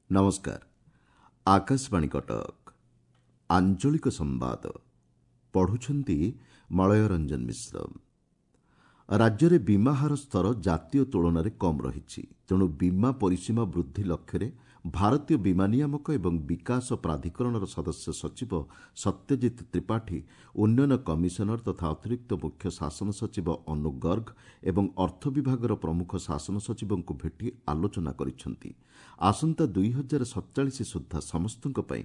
ନମସ୍କାର, ଆକାଶବାଣୀ କଟକ। ଆଞ୍ଚଳିକ ସମ୍ବାଦ ପଢ଼ୁଛନ୍ତି ମଳୟ ରଞ୍ଜନ ମିଶ୍ର। ରାଜ୍ୟରେ ବୀମା ହାର ସ୍ତର ଜାତୀୟ ତୁଳନାରେ କମ୍ ରହିଛି। ତେଣୁ ବୀମା ପରିସୀମା ବୃଦ୍ଧି ଲକ୍ଷ୍ୟରେ ଭାରତୀୟ ବୀମା ନିୟାମକ ଏବଂ ବିକାଶ ପ୍ରାଧିକରଣର ସଦସ୍ୟ ସଚିବ ସତ୍ୟଜିତ ତ୍ରିପାଠୀ, ଉନ୍ନୟନ କମିଶନର ତଥା ଅତିରିକ୍ତ ମୁଖ୍ୟ ଶାସନ ସଚିବ ଅନୁ ଗର୍ଗ ଏବଂ ଅର୍ଥ ବିଭାଗର ପ୍ରମୁଖ ଶାସନ ସଚିବଙ୍କୁ ଭେଟି ଆଲୋଚନା କରିଛନ୍ତି। ଆସନ୍ତା 2047 ସୁଦ୍ଧା ସମସ୍ତଙ୍କ ପାଇଁ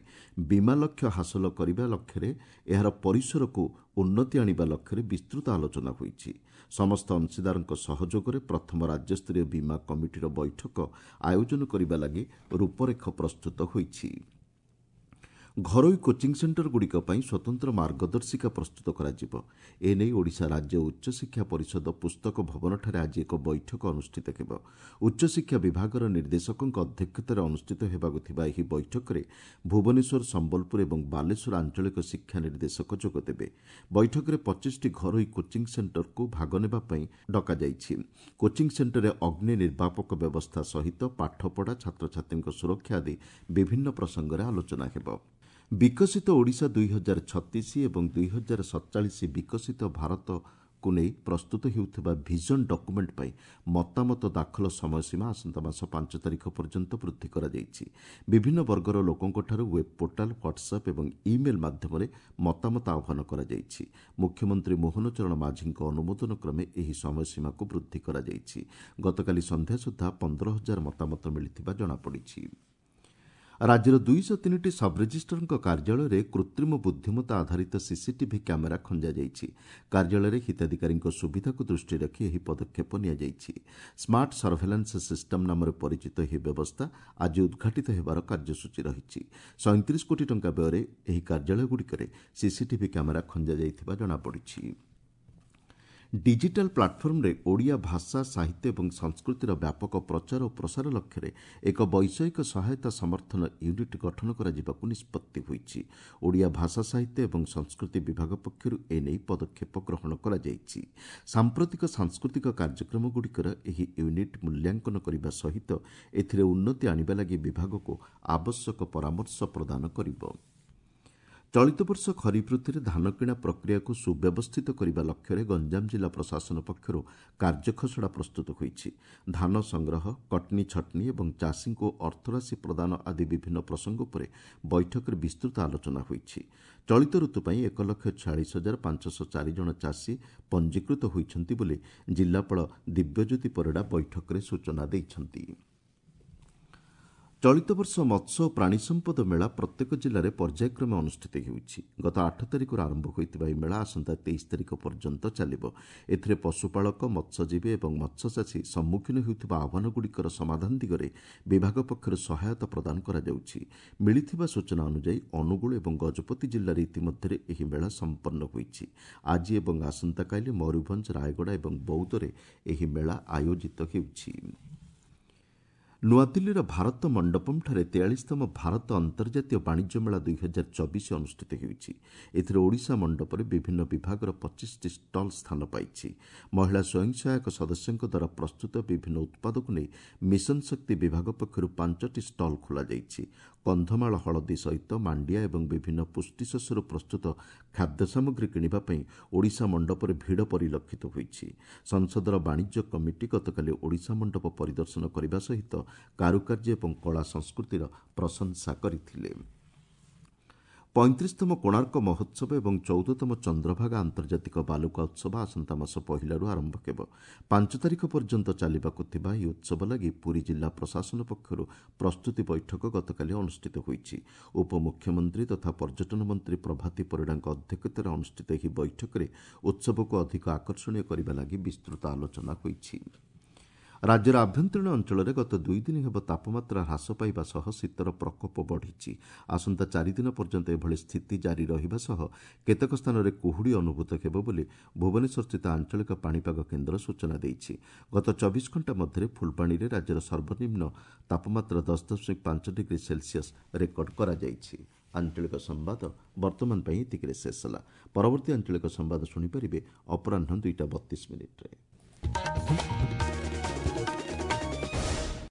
ବୀମା ଲକ୍ଷ୍ୟ ହାସଲ କରିବା ଲକ୍ଷ୍ୟରେ ଏହାର ପରିସରକୁ ଉନ୍ନତି ଆଣିବା ଲକ୍ଷ୍ୟରେ ବିସ୍ତୃତ ଆଲୋଚନା ହୋଇଛି। ସମସ୍ତ ଅଂଶୀଦାରଙ୍କ ସହଯୋଗରେ ପ୍ରଥମ ରାଜ୍ୟସ୍ତରୀୟ ବୀମା କମିଟିର ବୈଠକ ଆୟୋଜନ କରିବା ଲାଗି ରୂପରେଖ ପ୍ରସ୍ତୁତ ହୋଇଛି। ଘରୋଇ କୋଚିଂ ସେଣ୍ଟରଗୁଡ଼ିକ ପାଇଁ ସ୍ୱତନ୍ତ୍ର ମାର୍ଗଦର୍ଶିକା ପ୍ରସ୍ତୁତ କରାଯିବ। ଏନେଇ ଓଡ଼ିଶା ରାଜ୍ୟ ଉଚ୍ଚଶିକ୍ଷା ପରିଷଦ ପୁସ୍ତକ ଭବନଠାରେ ଆଜି ଏକ ବୈଠକ ଅନୁଷ୍ଠିତ ହେବ। ଉଚ୍ଚଶିକ୍ଷା ବିଭାଗର ନିର୍ଦ୍ଦେଶକଙ୍କ ଅଧ୍ୟକ୍ଷତାରେ ଅନୁଷ୍ଠିତ ହେବାକୁ ଥିବା ଏହି ବୈଠକରେ ଭୁବନେଶ୍ୱର, ସମ୍ବଲପୁର ଏବଂ ବାଲେଶ୍ୱର ଆଞ୍ଚଳିକ ଶିକ୍ଷା ନିର୍ଦ୍ଦେଶକ ଯୋଗଦେବେ। ବୈଠକରେ 25ଟି ଘରୋଇ କୋଚିଂ ସେଣ୍ଟରକୁ ଭାଗ ନେବା ପାଇଁ ଡକାଯାଇଛି। କୋଚିଂ ସେଣ୍ଟରରେ ଅଗ୍ନି ନିର୍ବାପକ ବ୍ୟବସ୍ଥା ସହିତ ପାଠପଢ଼ା, ଛାତ୍ରଛାତ୍ରୀଙ୍କ ସୁରକ୍ଷା ଆଦି ବିଭିନ୍ନ ପ୍ରସଙ୍ଗରେ ଆଲୋଚନା ହେବ। ବିକଶିତ ଓଡ଼ିଶା 2036 ଏବଂ 2047 ବିକଶିତ ଭାରତକୁ ନେଇ ପ୍ରସ୍ତୁତ ହେଉଥିବା ଭିଜନ ଡକୁମେଣ୍ଟ ପାଇଁ ମତାମତ ଦାଖଲ ସମୟସୀମା ଆସନ୍ତା ମାସ 5 ତାରିଖ ପର୍ଯ୍ୟନ୍ତ ବୃଦ୍ଧି କରାଯାଇଛି। ବିଭିନ୍ନ ବର୍ଗର ଲୋକଙ୍କଠାରୁ ୱେବ୍ ପୋର୍ଟାଲ, ହ୍ୱାଟ୍ସଆପ୍ ଏବଂ ଇମେଲ୍ ମାଧ୍ୟମରେ ମତାମତ ଆହ୍ୱାନ କରାଯାଇଛି। ମୁଖ୍ୟମନ୍ତ୍ରୀ ମୋହନ ଚରଣ ମାଝୀଙ୍କ ଅନୁମୋଦନ କ୍ରମେ ଏହି ସମୟସୀମାକୁ ବୃଦ୍ଧି କରାଯାଇଛି। ଗତକାଲି ସନ୍ଧ୍ୟା ସୁଦ୍ଧା 15,000 ମତାମତ ମିଳିଥିବା ଜଣାପଡ଼ିଛି। ରାଜ୍ୟର 203ଟି ସବ୍ରେଜିଷ୍ଟ୍ରାରଙ୍କ କାର୍ଯ୍ୟାଳୟରେ କୃତ୍ରିମ ବୁଦ୍ଧିମତ୍ତା ଆଧାରିତ ସିସିଟିଭି କ୍ୟାମେରା ଖଞ୍ଜାଯାଇଛି। କାର୍ଯ୍ୟାଳୟରେ ହିତାଧିକାରୀଙ୍କ ସୁବିଧାକୁ ଦୃଷ୍ଟିରେ ରଖି ଏହି ପଦକ୍ଷେପ ନିଆଯାଇଛି। ସ୍ମାର୍ଟ ସର୍ଭେଲାନ୍ସ ସିଷ୍ଟମ ନାମରେ ପରିଚିତ ଏହି ବ୍ୟବସ୍ଥା ଆଜି ଉଦ୍ଘାଟିତ ହେବାର କାର୍ଯ୍ୟସୂଚୀ ରହିଛି। 37 କୋଟି ଟଙ୍କା ବ୍ୟୟରେ ଏହି କାର୍ଯ୍ୟାଳୟଗୁଡ଼ିକରେ ସିସିଟିଭି କ୍ୟାମେରା ଖଞ୍ଜାଯାଇଥିବା ଜଣାପଡ଼ିଛି। ଡିଜିଟାଲ ପ୍ଲାଟଫର୍ମରେ ଓଡ଼ିଆ ଭାଷା, ସାହିତ୍ୟ ଏବଂ ସଂସ୍କୃତିର ବ୍ୟାପକ ପ୍ରଚାର ଓ ପ୍ରସାର ଲକ୍ଷ୍ୟରେ ଏକ ବୈଷୟିକ ସହାୟତା ସମର୍ଥନ ୟୁନିଟ୍ ଗଠନ କରାଯିବାକୁ ନିଷ୍ପତ୍ତି ହୋଇଛି। ଓଡ଼ିଆ ଭାଷା, ସାହିତ୍ୟ ଏବଂ ସଂସ୍କୃତି ବିଭାଗ ପକ୍ଷରୁ ଏନେଇ ପଦକ୍ଷେପ ଗ୍ରହଣ କରାଯାଇଛି। ସାମ୍ପ୍ରତିକ ସାଂସ୍କୃତିକ କାର୍ଯ୍ୟକ୍ରମଗୁଡ଼ିକର ଏହି ୟୁନିଟ୍ ମୂଲ୍ୟାଙ୍କନ କରିବା ସହିତ ଏଥିରେ ଉନ୍ନତି ଆଣିବା ଲାଗି ବିଭାଗକୁ ଆବଶ୍ୟକ ପରାମର୍ଶ ପ୍ରଦାନ କରିବ। ଚଳିତ ବର୍ଷ ଖରିଫ ଋତୁରେ ଧାନକିଣା ପ୍ରକ୍ରିୟାକୁ ସୁବ୍ୟବସ୍ଥିତ କରିବା ଲକ୍ଷ୍ୟରେ ଗଞ୍ଜାମ ଜିଲ୍ଲା ପ୍ରଶାସନ ପକ୍ଷରୁ କାର୍ଯ୍ୟଖସଡ଼ା ପ୍ରସ୍ତୁତ ହୋଇଛି। ଧାନ ସଂଗ୍ରହ, କଟନୀ ଛଟନୀ ଏବଂ ଚାଷୀଙ୍କୁ ଅର୍ଥରାଶି ପ୍ରଦାନ ଆଦି ବିଭିନ୍ନ ପ୍ରସଙ୍ଗ ଉପରେ ବୈଠକରେ ବିସ୍ତୃତ ଆଲୋଚନା ହୋଇଛି। ଚଳିତ ଋତୁ ପାଇଁ 1,46,504 ଜଣ ଚାଷୀ ପଞ୍ଜୀକୃତ ହୋଇଛନ୍ତି ବୋଲି ଜିଲ୍ଲାପାଳ ଦିବ୍ୟଜ୍ୟୋତି ପରିଡ଼ା ବୈଠକରେ ସୂଚନା ଦେଇଛନ୍ତି। ଚଳିତ ବର୍ଷ ମତ୍ସ୍ୟ ଓ ପ୍ରାଣୀ ସମ୍ପଦ ମେଳା ପ୍ରତ୍ୟେକ ଜିଲ୍ଲାରେ ପର୍ଯ୍ୟାୟକ୍ରମେ ଅନୁଷ୍ଠିତ ହେଉଛି। ଗତ 8 ତାରିଖରୁ ଆରମ୍ଭ ହୋଇଥିବା ଏହି ମେଳା ଆସନ୍ତା 23 ତାରିଖ ପର୍ଯ୍ୟନ୍ତ ଚାଲିବ। ଏଥିରେ ପଶୁପାଳକ, ମତ୍ସ୍ୟଜୀବୀ ଏବଂ ମତ୍ସ୍ୟଚାଷୀ ସମ୍ମୁଖୀନ ହେଉଥିବା ଆହ୍ୱାନଗୁଡ଼ିକର ସମାଧାନ ଦିଗରେ ବିଭାଗ ପକ୍ଷରୁ ସହାୟତା ପ୍ରଦାନ କରାଯାଉଛି। ମିଳିଥିବା ସୂଚନା ଅନୁଯାୟୀ ଅନୁଗୁଳ ଏବଂ ଗଜପତି ଜିଲ୍ଲାରେ ଇତିମଧ୍ୟରେ ଏହି ମେଳା ସମ୍ପନ୍ନ ହୋଇଛି। ଆଜି ଏବଂ ଆସନ୍ତାକାଲି ମୟୂରଭଞ୍ଜ, ରାୟଗଡ଼ା ଏବଂ ବୌଦ୍ଧରେ ଏହି ମେଳା ଆୟୋଜିତ ହେଉଛି। ନୂଆଦିଲ୍ଲୀର ଭାରତ ମଣ୍ଡପମ୍ଠାରେ 43ତମ ଭାରତ ଅନ୍ତର୍ଜାତୀୟ ବାଣିଜ୍ୟ ମେଳା 2024 ଅନୁଷ୍ଠିତ ହେଉଛି। ଏଥିରେ ଓଡ଼ିଶା ମଣ୍ଡପରେ ବିଭିନ୍ନ ବିଭାଗର 25ଟି ଷ୍ଟଲ୍ ସ୍ଥାନ ପାଇଛି। ମହିଳା ସ୍ୱୟଂ ସହାୟକ ସଦସ୍ୟଙ୍କ ଦ୍ୱାରା ପ୍ରସ୍ତୁତ ବିଭିନ୍ନ ଉତ୍ପାଦକୁ ନେଇ ମିଶନ ଶକ୍ତି ବିଭାଗ ପକ୍ଷରୁ 5ଟି ଷ୍ଟଲ୍ ଖୋଲାଯାଇଛି। କନ୍ଧମାଳ ହଳଦୀ ସହିତ ମାଣ୍ଡିଆ ଏବଂ ବିଭିନ୍ନ ପୁଷ୍ଟିଶସ୍ୟରୁ ପ୍ରସ୍ତୁତ ଖାଦ୍ୟ ସାମଗ୍ରୀ କିଣିବା ପାଇଁ ଓଡ଼ିଶା ମଣ୍ଡପରେ ଭିଡ଼ ପରିଲକ୍ଷିତ ହୋଇଛି। ସଂସଦର ବାଣିଜ୍ୟ କମିଟି ଗତକାଲି ଓଡ଼ିଶା ମଣ୍ଡପ ପରିଦର୍ଶନ କରିବା ସହିତ କାରୁକାର୍ଯ୍ୟ ଏବଂ କଳା ସଂସ୍କୃତିର ପ୍ରଶଂସା କରିଥିଲେ। 35ତମ କୋଣାର୍କ ମହୋତ୍ସବ ଏବଂ 14ତମ ଚନ୍ଦ୍ରଭାଗା ଆନ୍ତର୍ଜାତିକ ବାଲୁକା ଉତ୍ସବ ଆସନ୍ତା ମାସ 1ରୁ ଆରମ୍ଭ ହେବ। 5 ତାରିଖ ପର୍ଯ୍ୟନ୍ତ ଚାଲିବାକୁ ଥିବା ଏହି ଉତ୍ସବ ଲାଗି ପୁରୀ ଜିଲ୍ଲା ପ୍ରଶାସନ ପକ୍ଷରୁ ପ୍ରସ୍ତୁତି ବୈଠକ ଗତକାଲି ଅନୁଷ୍ଠିତ ହୋଇଛି। ଉପମୁଖ୍ୟମନ୍ତ୍ରୀ ତଥା ପର୍ଯ୍ୟଟନ ମନ୍ତ୍ରୀ ପ୍ରଭାତୀ ପରିଡ଼ାଙ୍କ ଅଧ୍ୟକ୍ଷତାରେ ଅନୁଷ୍ଠିତ ଏହି ବୈଠକରେ ଉତ୍ସବକୁ ଅଧିକ ଆକର୍ଷଣୀୟ କରିବା ଲାଗି ବିସ୍ତୃତ ଆଲୋଚନା ହୋଇଛି। ରାଜ୍ୟର ଆଭ୍ୟନ୍ତରୀଣ ଅଞ୍ଚଳରେ ଗତ 2 ଦିନ ହେବ ତାପମାତ୍ରା ହ୍ରାସ ପାଇବା ସହ ଶୀତର ପ୍ରକୋପ ବଢ଼ିଛି। ଆସନ୍ତା 4 ଦିନ ପର୍ଯ୍ୟନ୍ତ ଏଭଳି ସ୍ଥିତି ଜାରି ରହିବା ସହ କେତେକ ସ୍ଥାନରେ କୁହୁଡ଼ି ଅନୁଭୂତ ହେବ ବୋଲି ଭୁବନେଶ୍ୱରସ୍ଥିତ ଆଞ୍ଚଳିକ ପାଣିପାଗ କେନ୍ଦ୍ର ସୂଚନା ଦେଇଛି। ଗତ 24 ଘଣ୍ଟା ମଧ୍ୟରେ ଫୁଲବାଣୀରେ ରାଜ୍ୟର ସର୍ବନିମ୍ନ ତାପମାତ୍ରା 10.5 ଡିଗ୍ରୀ ସେଲସିୟସ୍ ରେକର୍ଡ କରାଯାଇଛି। ଆଞ୍ଚଳିକ ସମ୍ବାଦ ବର୍ତ୍ତମାନ ପାଇଁ ଏତିକିରେ ଶେଷ ହେଲା। ପରବର୍ତ୍ତୀ ଆଞ୍ଚଳିକ ସମ୍ବାଦ ଶୁଣିପାରିବେ ଅପରାହ୍ନ 2ଟା 32 ମିନିଟ୍ରେ।